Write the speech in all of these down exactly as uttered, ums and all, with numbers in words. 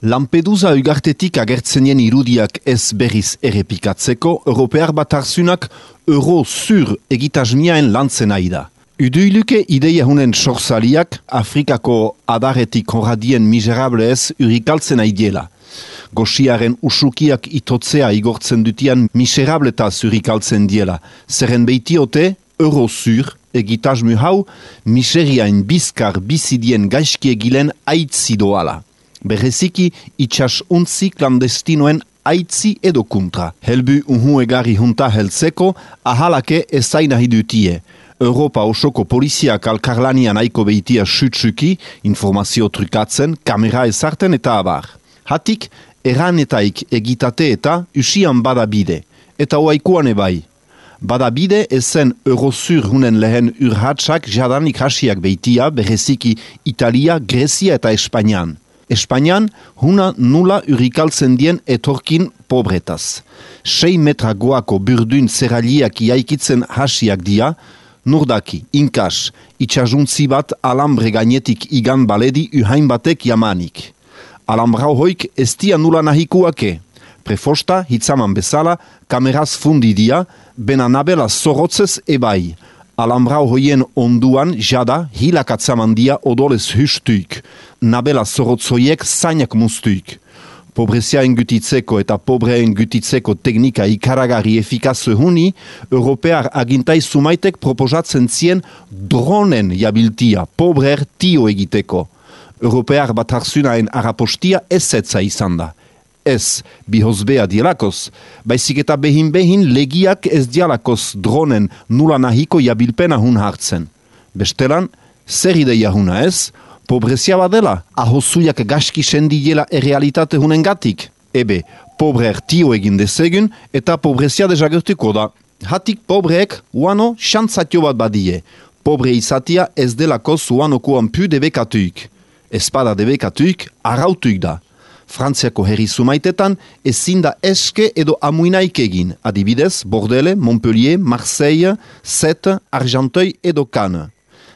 Lampedusa ugartetik agertzenien irudiak ez berriz errepikatzeko, Europear Batarzunak euro zur egitasmiaen lantzen ari da. Uduiluke ideia hunen sorzaliak Afrikako adarretik honradien miserablez urikaltzen aidiela. Goxiaren usukiak itotzea igortzen dutian miserabletaz urikaltzen diela. Zerren behitiote, euro zur egitasmu hau miseriain bizkar bizidien gaizkiegilen aitzi doala. Bereziki itxas untzi klandestinoen aitzi edo kontra. Helbu unhu egari junta heltzeko ahalake ezainahi dutie. Europa osoko poliziak alkarlanian aiko behitia sutsuki, informazio trukatzen, kamera ezarten eta abar. Hatik, erranetaik egitate eta usian badabide. Eta oaikuan ebai. Badabide ezen eurozur hunen lehen urhatsak jadanik hasiak behitia, bereziki Italia, Grezia eta Espainian. Espainian, huna nula urikaltzen dien etorkin pobretaz. Sei metra goako burdun zeraliak iaikitzen hasiak dia, nurdaki, inkas, itxajuntzi bat alambre gainetik igan baledi uhain batek jamanik. Alambrau hoik ez dia nula nahikuake. Prefosta, hitzaman bezala, kameraz fundidia, bena nabela zorotzez ebai. Alambrau hoien onduan jada hilakatzamandia odolez hustuik. Nabela zorotzoiek zainak mustuik. Pobrezia engutitzeko eta pobreen gutitzeko teknika ikaragarri efikaz huni, Europear agintai sumaitek proposatzen zien dronen jabiltia, pobrer tio egiteko. Europear Batarzunaen arapostia ezetza izan da. Ez bihozbea dielakoz, baizik eta behin-behin legiak ez dialakoz dronen nula nahiko jabilpena hun hartzen. Bestelan, zer ideia huna ez? Pobrezia badela, ahosuiak gaski sendiela errealitate hunen gatik. Ebe, pobrer tio egin dezegun eta pobrezia dezagertuko da. Hatik pobreek uano xantzatio bat badie. Pobre izatia ez delakoz uanokoan pu debekatuik. Espada debekatuik arautuik da. Frantziako herri sumaitetan ezin da eske edo amuinaik egin, adibidez Bordele, Montpellier, Marseille, Sète, Argenteuil edo Cannes.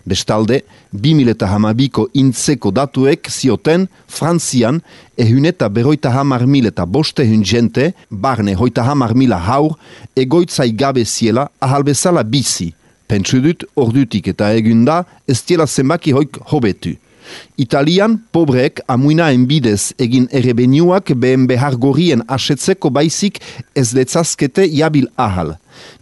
Bestalde, bi mila hamabiko intzeko datuek zioten Frantzian ehun eta beroita hamar mil eta boste hun jente, barne hoita hamar mila haur, egoitzai gabe ziela ahalbezala bizi. Pentsu dut ordutik eta egunda ez diela zenbaki hoik hobetu. Italian, pobreek amuinaen bidez egin errebeniuak behen behar gorien asetzeko baizik ez detzazkete jabil ahal.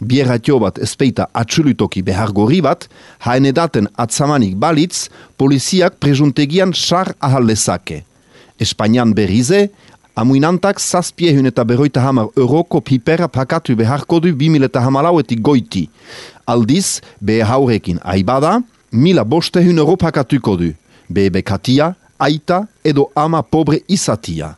Bierratio bat ezpeita atxulutoki behar gorri bat, haen edaten atzamanik balitz, poliziak presuntegian sar ahal lezake. Espainian berrize, amuinantak zazpiehun eta beroita hamar euroko pipera pakatu beharko du bi mila hamalauetik goiti. Aldiz, behe haurekin aibada, mila bostehun euro pakatuko du. Bebe katia, aita edo ama pobre izatia.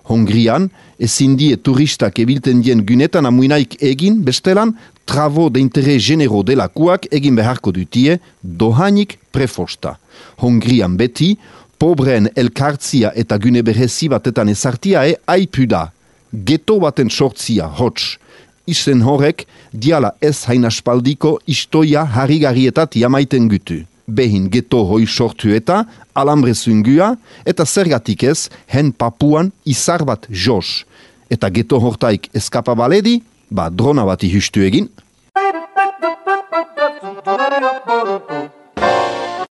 Hongrian, ezin die turistak ebilten dien gunetan amuinaik egin, bestelan, travo de interés genero delakuak egin beharko dutie, dohanik prefosta. Hongrian beti, pobreen elkartzia eta gune berezi batetan ezartiae aipu da. Geto baten sortzia, hots. Izen horrek, diala ez hainaspaldiko istoia harrigarrietat jamaiten gutu. Behin geto hoi sortu eta alambre zungua eta zergatik ez hen Papuan izar bat jos. Eta geto hortaik eskapa baledi, ba drona bati hustu egin.